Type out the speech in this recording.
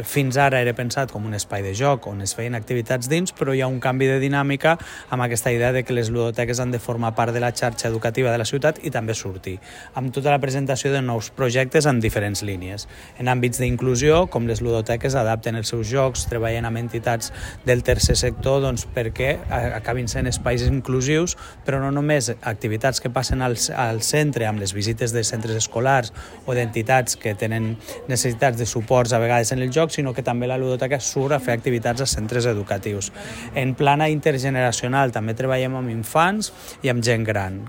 Fins ara era pensat com un espai de joc on es feien activitats dins, però hi ha un canvi de dinàmica amb aquesta idea de que les ludoteques han de formar part de la xarxa educativa de la ciutat i també sortir, amb tota la presentació de nous projectes en diferents línies. En àmbits d'inclusió, com les ludoteques adapten els seus jocs, treballen amb entitats del tercer sector perquè acabin sent espais inclusius, però no només activitats que passen al centre amb les visites de centres escolars o d'entitats que tenen necessitats de suports a vegades en el joc, sinó que també la ludoteca surt a fer activitats a centres educatius. En plana intergeneracional també treballem amb infants i amb gent gran.